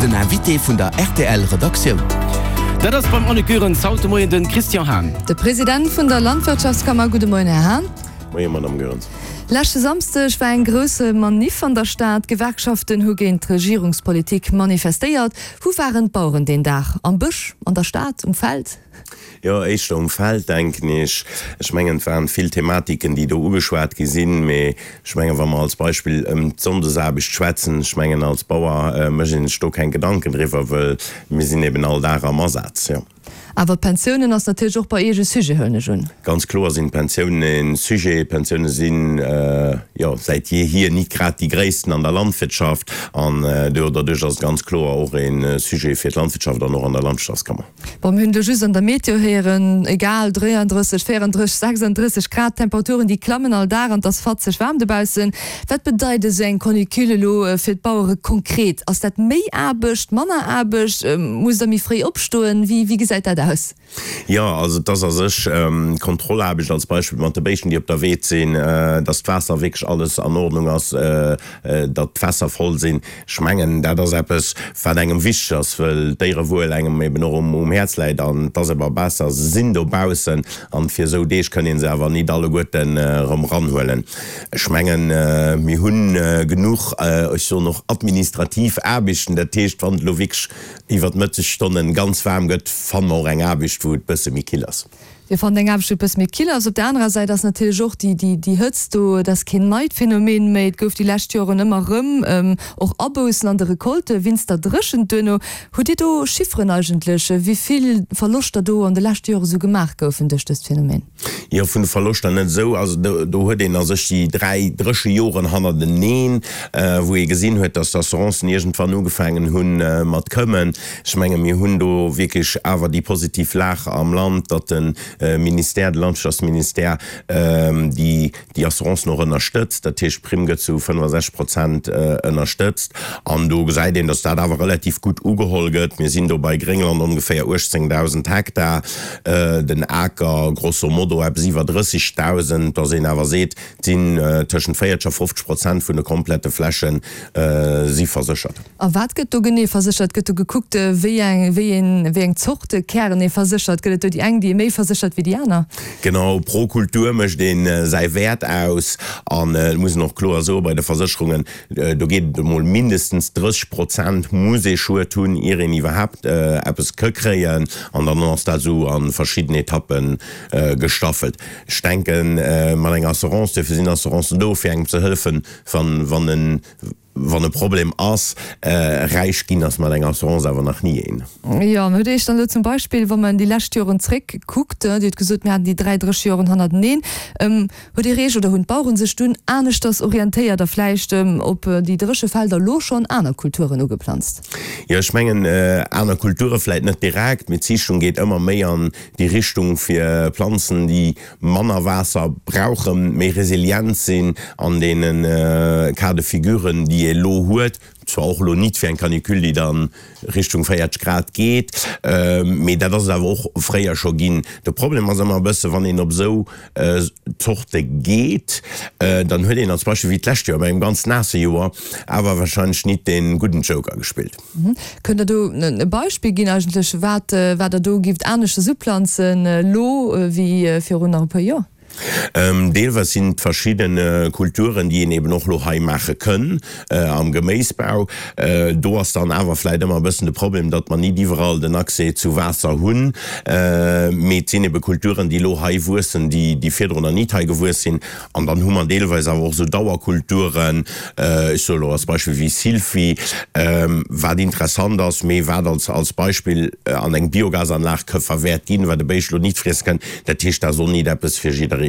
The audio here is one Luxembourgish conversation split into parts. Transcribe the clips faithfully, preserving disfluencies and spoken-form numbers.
Den Invité vun der R T L Redaktioun. Dat ass beim Annick Goerens haut de Moien de Christian Hahn. De President vun der Landwirtschaftskammer. Gudde Moien, Här Hahn. Moien, Madame Goerens. Leschte Samschdeg war eng grouss Manif an der Stad. Gewerkschaften hu géint d'Regierungspolitik manifestéiert. Wou waren d'Baueren deen Dag? Am Bësch, an der Stad, um Feld? Jo, éischter um Feld, denken ech. Ech mengen, et waren vill Thematiken, déi do ugeschwat gi sinn, mee ech mengen, wa mer als Beispill ëm d'Sonndesaarbecht schwätzen, ech mengen, als Bauer mécht een sech do keng Gedanken driwwer, wëll mir sinn eben all Dag am Asaz, jo. Awer d'Pensiounen ass natierlech och bei Iech e Sujet, huelen ech un. Ganz kloer sinn d'Pensiounen e Sujet. D'Pensioune sinn, jo, säit jeehier nit grad déi gréissten an der Landwirtschaft an doduerch ass et ganz kloer och e Sujet fir d'Landwirtschaft an och an der Landwirtschaftskammer. Bon, mir hunn elo just an der Meteo héieren, egal, dräiandrësseg, véierandrësseg, sechsandrësseg Grad, d'Temperaturen déi klammen all Dag an et ass fatzeg waarm dobaussen. Wat bedeit esou eng Canicule elo fir d'Bauere konkret? Ass dat méi Aarbecht, manner Aarbecht? Musst Der méi fréi opstoen? Wéi gesäit dat aus? Jo, also et ass a sech Kontrollaarbecht, als Beispill mat de Béischten, déi op der Weed sinn, datt d'Waasser wierklech alles an Ordnung ass, datt d'Fässer voll sinn. Ech mengen, dat ass eppes, wat engem wichteg ass, wëll d'Déierewuel engem eben och um Häerz läit. An et ass eber besser, se sinn dobaussen an fir esou Deeg kënn ee se awer nit alleguerten erëm eranhuelen. Ech mengen, mir hu genuch, ech soen och administrativ Aarbechten. Dat heescht, wann et elo wierklech iwwer d'Mëttesstonnen ganz waarm gëtt, fanne mer och eng Aarbecht, wou et bësse méi kill ass. Dir fannt eng Aarbecht, wou et bësse méi kill ass. Op der anerer Säit ass natierlech och déi, déi, déi Hëtzt do, et ass keen neit Phänomen méi. Et gouf déi lescht Joren ëmmer erëm och Aboussen an de Recoltë wéinst der Dréchent duerno. Hutt Dir do Chifferen eigentlech, wéi vill Verloschter do an de leschte Jore sou gemaach goufen duerch dëst Phänomen? Jo, vun de Verloschter net esou. Also do, do huet een a sech déi dräi dréche Joren hannerteneen, wou ee gesinn huet, datt d'Assurancen iergendwann ugefaangen hu mat këmmen. Ech menge mir hunn do wierklech awer déi positiv Lag am Land, datt de Ministère, de Landwirtschaftsministère déi, déi Assurancen och ënnerstëtzt. Dat heescht, d'Primm gëtt zu fënnefasechzeg Prozent ënnerstëtzt. An do gesäit een, datt dat awer relativ gutt ugeholl gëtt. Mir sinn do bei Gréngland ongeféier uechtzéngdausend Hektar, den Aker grosso modo eppes iwwer drëssigdausend, datt een awer seet, et sinn tëschent véierzeg a fofzeg Prozent vun de komplette Fläche si verséchert. A wat gëtt do genee verséchert? Gëtt do gekuckt, wéi eng, wéi een, wéi eng Zorte Kären ee verséchert? Gëtt et do déi eng, déi ee méi verséchert wéi déi aner? Genau, pro Kultur mécht ee säi Wäert aus. An et muss een och kloer soen, bei de Versécherungen, do geet et emol mindestens drësseg Prozent muss ee Schued hunn, ier een iwwerhaapt eppes ka kréien. An dann ass dat esou a verschidden Etappe gestaffelt. Ech denken, mat enger Assurance, duerfir sinn Assurancen do, fir engem ze hëllefen, wann en wann e Problem ass. Räich ginn ass mat enger Assurance awer nach ni een. Jo, an hutt Iech dann elo zum Beispill, wa mer déi lescht Joren zréck kuckt, Dir hutt gesot, mir haten déi dräi dréche Joren hannerteneen, hutt Dir Iech oder hunn d'Baueren sech dunn aneschters orientéiert a vläicht op déi dréche Felder elo schonn aner Kulturen ugeplanzt? Jo, ech mengen, aner Kulture vläicht net direkt, mee d'Ziichtung geet ëmmer méi an déi Richtung fir Planzen, déi manner Waasser brauchen, méi resilient sinn an deene Cas de figuren, déi ee elo huet, zwar och elo nit fir eng Canicule, déi da Richtung véierzeg Grad geet, mee dat ass et awer och fréier scho ginn. De Problem ass ëmmer e bësse, wann een op esou Zorte geet, dann huet een als Beispill wéi d'lescht Joer, bei engem ganz naasse Joer, awer wahrscheinlech nit dee gudden Joker gespillt. Kënnt Der do e Beispill ginn eigentlech, wat wat Der do gift aneschters uplanzen elo wéi virun nach e puer Joer? Deelweis sinn et verschidde Kulturen, déi een eben och elo hei maache kënn am Geméisbau. Do ass dann awer vläicht ëmmer e bëssen de Problem, datt mer nit iwwerall den Accès zu Waasser hunn. Mee et sinn ebe Kulturen, déi elo hei wuessen, déi virdrun nach nit hei gewuess sinn. An dann hu mer deelweis awer och esou Dauerkulturen, ech soe elo als Beispill wéi Silphi, wat interessant ass, mee wat als als Beispill an eng Biogasanlag ka verwäert ginn, wat e Béischt elo nit friesse kënn. Dat heescht, dat ass och nit eppes fir jiddereen.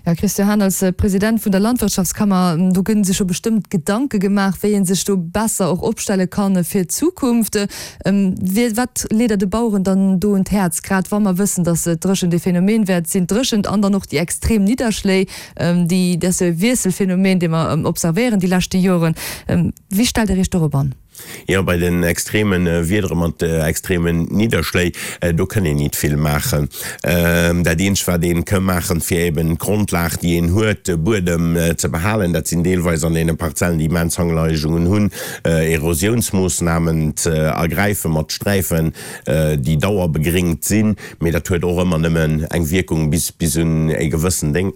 Här Christian Hahn, als President vun der Landwirtschaftskammer, do gënn sech jo bestëmmt Gedanke gemaach, wéi ee sech do besser och opstelle kann fir d'Zukunft. Wat leet Der de Baueren dann do un d'Häerz, grad wa mer wëssen, datt d'Dréchent ee Phänomen wäert sinn, d'Dréchent an dann och déi extrem Nidderschléi, déi, dat ass jo e Wiesselphänomen, dee mer observéieren déi leschte Joren. Wéi stellt Der Iech dorop an? Jo, bei den extreme Wiedere mat extremen Nidderschléi, do kënn een nit vill maachen. Dat eenzegt, wat een ka maachen, fir eben d'Grondlag, déi een huet, de Buedem ze behalen, dat sinn deelweis an deene Parzellen, déi immens Hangleigungen hunn, Erosiounsmoossnamen ze ergräifen mat Sträifen, déi dauerbegringt sinn. Mee dat huet och ëmmer nëmmen eng Wierkung bis bis un e gewëssen Déng,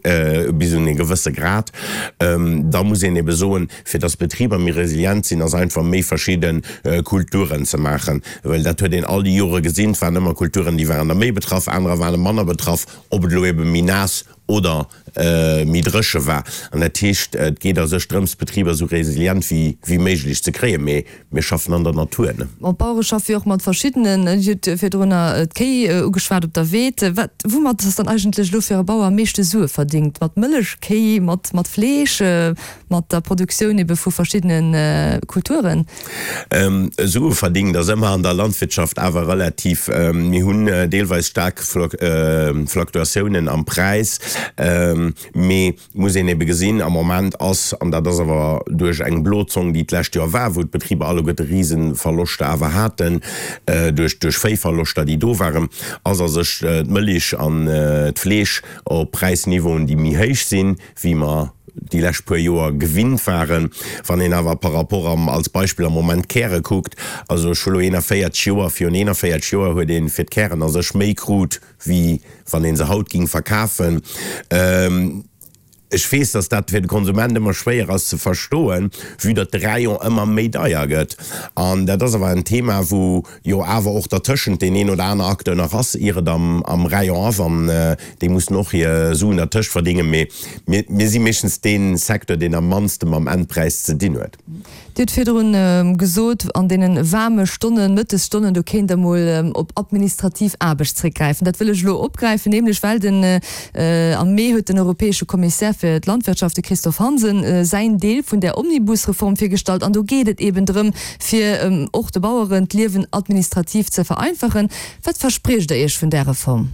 bis un e gewësse Grad. Da muss een ebe soen, fir dass d'Betriber méi resilient sinn, ass einfach méi verschidde Kulturen ze maachen, well dat huet een all déi Jore gesinn, et waren ëmmer Kulturen, déi waren da méi betraff, anerer ware manner betraff, ob et elo ebe méi naass oder méi dréche war. An dat heescht, et geet a sech drëms, d'Betriber esou resilient wéi méiglech ze kréien, mee mir schaffen an der Natur. Bon, d'Bauere schaffe jo och mat verschiddenen, Dir hutt virdrunner d'Kéi ugeschwat op der Weed. Wat, woumat ass dann eigentlech elo fir e Bauer am meeschte Sue verdingt? Mat Mëllechkéi, mat Fleesch, mat der Produktioun ebe vu verschiddene Kulturen? Sue verdingt ass ëmmer an der Landwirtschaft awer relativ. Mir hunn deelweis staark Fluktuatiounen am Präis, mee muss een ebe gesinn, am Moment ass, an dat ass awer duerch eng Blozong, déi d'lescht Joer war, wou d'Betriber alleguerte Riseverloschter awer haten, duerch duerch Véiverloschter, déi do waren, ass a sech d'Mëlich an d'Fleesch op Präisniveauen, déi méi héich sinn, wéi mer déi lescht puer Joer gewinnt waren. Wann een awer par rapport am, als Beispill am Moment d'Käre kuckt, also ech hu lo eenanvéierzeg Joer, virun eenanvéierzeg Joer huet ee fir d'Kären a sech méi krut, wéi wann ee se haut ging verkafen. Ech weess, dass dat fir de Konsument ëmmer schwéier ass ze verstoen, vue datt de Rayon ëmmer méi deier gëtt. An dat ass awer en Thema, wou jo awer och dertëschent deen een oder aner Acteur nach ass, ier et am am Rayon ass. An déi mussen och hir Suen dertëscht verdéngen. Mee mir mir si meeschtens dee Secteur, deen am mannste mam Endpräis ze dinn huet. Dir hutt virdrun gesot, an deene waarme Stonnen, Mëttesstonnen, do kéint Der mol op administrativ Aarbecht zréckgräifen. Dat wëll ech elo opgräifen, nämlech well den am Mee huet den europäesche Kommissär fir d'Landwirtschaft, de Christophe Hansen, säin Deel vun där Omnibusreform virgestallt. An do geet et eben drëm, fir och de Baueren d'Liewen administrativ ze vereinfachen. Wat verspriecht Der Iech vun där Reform?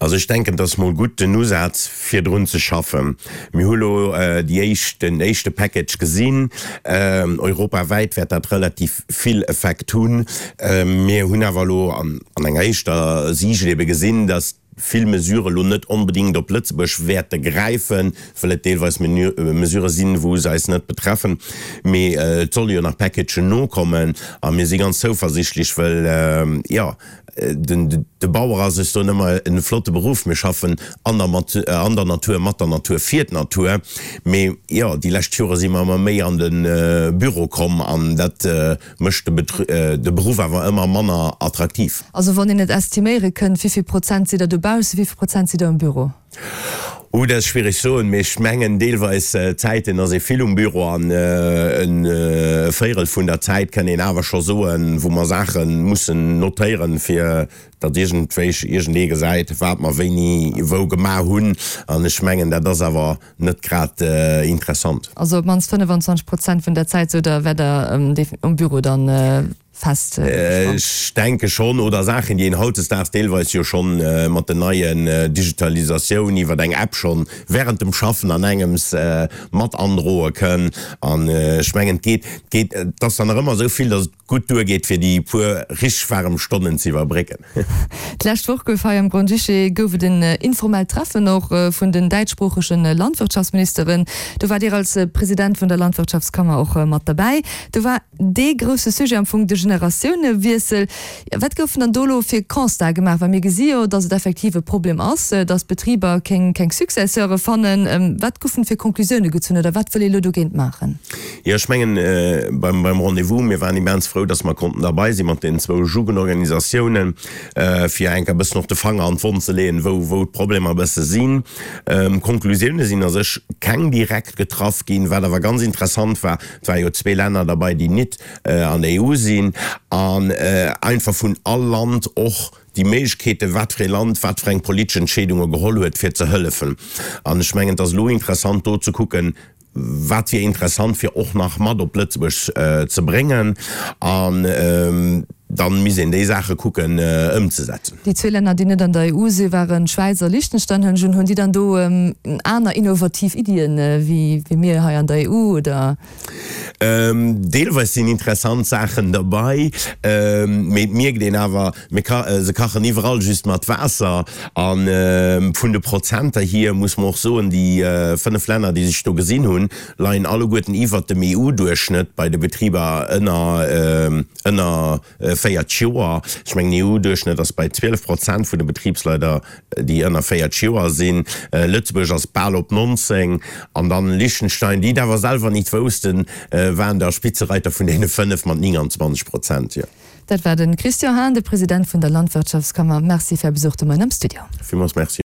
Also ech denken, et ass mol gutt den Usaz fir drun ze schaffen. Mir hu lo déi éischt, den éischte Package gesinn. Europawäit wäert dat relativ vill Effekt hunn. Mir hunn awer elo an enger éischter Siicht ebe gesinn, datt vill Mesurë lo net onbedéngt op Lëtzebuerg wäerte gräifen, well et deelweis Mesurë sinn, wou se eis net betreffen. Mee et solle jo nach Packagen nokommen a mir si ganz zouversichtlech, well, jo, De Bauer ass, ech soen ëmmer, e flotte Beruff. Mir schaffen an der an der Natur, mat der Natur, fir d'Natur. Mee jo, déi lescht Jore si mer ëmmer méi an de Büro komm an dat mécht de de Beruff awer ëmmer manner attraktiv. Also wann een et estiméiere kënnt, wéi vill Prozent sidd Der dobaussen, wéi vill Prozent sidd Der am Büro? Oh, dat ass schwiereg soen, mee ech mengen deelweis Zäiten ass ee vill um Büro an e Véierel vun der Zäit kann een awer scho soen, wou mer Saache mussen notéieren, fir datt iergendwéi iergendee gesäit, wat mer wéini wou gemaach hunn. An ech mengen, dat ass awer net grad interessant. Also op d'mannst fënnefenzwanzeg Prozent vun der Zäit, sot Der, wäert Der um Büro dann fest gespannt? Ech denke schonn, oder Saachen, déi een hautdesdaags deelweis jo schonn mat den neien Digitalisatioun iwwer eng App schonn während dem Schaffen an engems mat androe kënn. An ech mengen, et geet, et geet, et ass dann nach ëmmer esou vill, datt et gutt duergeet, fir déi puer richteg waarem Stonnen ze iwwerbrécken. D'lescht Woch gouf hei am Grand-Duché gouf et en informellt Treffen och vun den däitschsproochege Landwirtschaftsministeren. Do waart Dir als President vun der Landwirtschaftskammer och mat derbäi. Do war dee grousse Sujet am Fong de Generatiounewiessel. Wat goufen dann do elo fir Constate gemaach? Well mir gesi jo, datt et effektiv e Problem ass, datt d'Betriber keng keng Successeure fannen. Wat goufen fir Conclusioune gezunn oder wat wëll ee elo dogéint maachen? Jo, ech mengen, beim beim Rendez-vous, mir waren immens frou, datt mer konnten derbei si mat deenen zwou Jugendorganisatiounen, fir enk e bëssen och de Fanger an d'Wonn ze leeën, wou wou d'Problemer e bësse sinn. Conclusioune sinn a sech keng direkt getraff ginn. Wat awer ganz interessant war, Et ware jo zwee Länner derbei, déi nit an der E U sinn, an einfach vun all Land och déi Méiglechkeeten, wat fir ee Land wat fir eng politesch Entscheedunge geholl huet, fir ze hëllefen. An ech mengen, et ass elo interessant do ze kucken, wat wier interessant fir och nach mat op Lëtzebuerg ze bréngen. An Dann misst een déi Saache kucken ëmzesetzen. Déi zwee Länner, déi net an der E U si waren d'Schwäiz a Liechtenstein. Hunn hunn déi dann do aner innovativ Iddien wéi mir hei an der E U oder? Deelweis sinn interessant Saachen derbei, mee et mierkt een awer, mir se kachen iwwerall just mat Waasser. A vun de Prozenter hier muss mer och soen, déi fënnef Länner, déi sech do gesinn hunn, leien alleguerten iwwert dem E U-Duerchschnëtt bei de Betriber ënner ënner véierzeg Joer. Ech mengen, den E U-Duerchschnëtt ass bei zwielef Prozent vun de Betribsleider, déi ënner véierzeg Joer sinn. Lëtzebuerg ass bal op nonzéng. An dann Liechtenstein, déi et awer selwer nit woussten, waren der Spitzereiter vun deene fënnef mat nénganzwanzeg Prozent. Jo. Dat war de Christian Hahn, de President vun der Landwirtschaftskammer. Merci fir Är Besuch de Moien am Studio. Villmools Merci.